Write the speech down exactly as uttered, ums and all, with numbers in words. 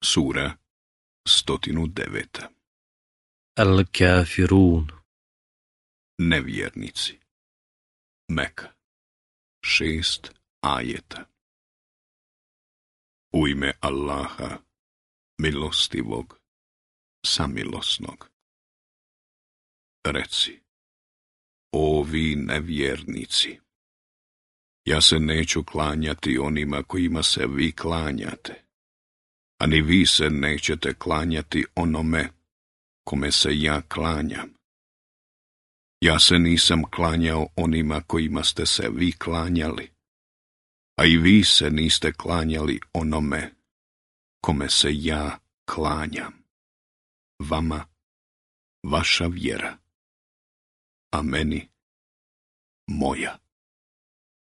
Sura sto devet. Al-Kafirun. Nevjernici. Meka. Šest ajeta. U ime Allaha, milostivog, samilosnog. Reci, o vi nevjernici, ja se neću klanjati onima kojima se vi klanjate, a ni vi se nećete klanjati onome kome se ja klanjam. Ja se nisam klanjao onima kojima ste se vi klanjali, a i vi se niste klanjali onome kome se ja klanjam. Vama vaša vjera, a meni moja.